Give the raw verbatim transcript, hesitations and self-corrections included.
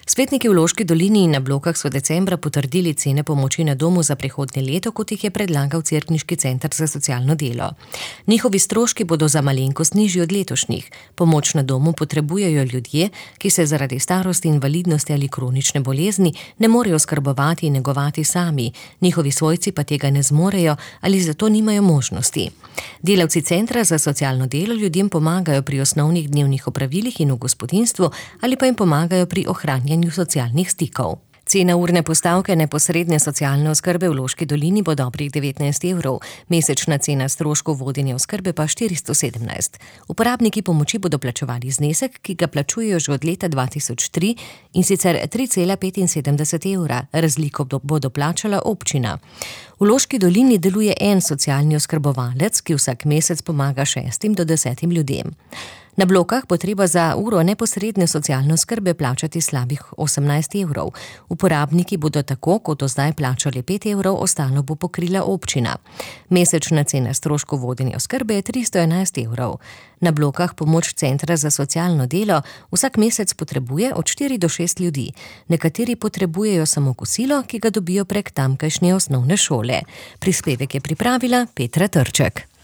Svetniki v Loški dolini in na Blokah so decembra potrdili cene pomoči na domu za prihodnje leto, kot jih je predlagal Cerkniški center za socialno delo. Njihovi stroški bodo za malenkost nižji od letošnjih. Pomoč na domu potrebujejo ljudje, ki se zaradi starosti, invalidnosti ali kronične bolezni ne morejo skrbovati in negovati sami, njihovi svojci pa tega ne zmorejo ali zato nimajo možnosti. Delavci centra za socialno delo ljudem pomagajo pri osnovnih dnevnih opravilih in v gospodinjstvu ali pa jim pomagajo pri ohranjanju socialnih stikov. Cena urne postavke neposredne socialne oskrbe v Loški dolini bo dobrih devetnajst evrov, mesečna cena stroškov vodenja oskrbe pa štiristo sedemnajst. Uporabniki pomoči bodo plačevali znesek, ki ga plačujejo že od leta dva tisoč tri, in sicer tri cela petinsedemdeset evra, razliko bodo plačala občina. V Loški dolini deluje en socialni oskrbovalec, ki vsak mesec pomaga šestim do desetim ljudem. Na Blokah bo treba za uro neposredne socialne oskrbe plačati slabih osemnajst evrov. Uporabniki bodo tako, kot do zdaj plačali pet evrov, ostalo bo pokrila občina. Mesečna cena stroškov vodenja oskrbe je tristo enajst evrov. Na Blokah pomoč centra za socialno delo vsak mesec potrebuje od štiri do šest ljudi. Nekateri potrebujejo samo kosilo, ki ga dobijo prek tamkajšnje osnovne šole. Prispevek je pripravila Petra Trček.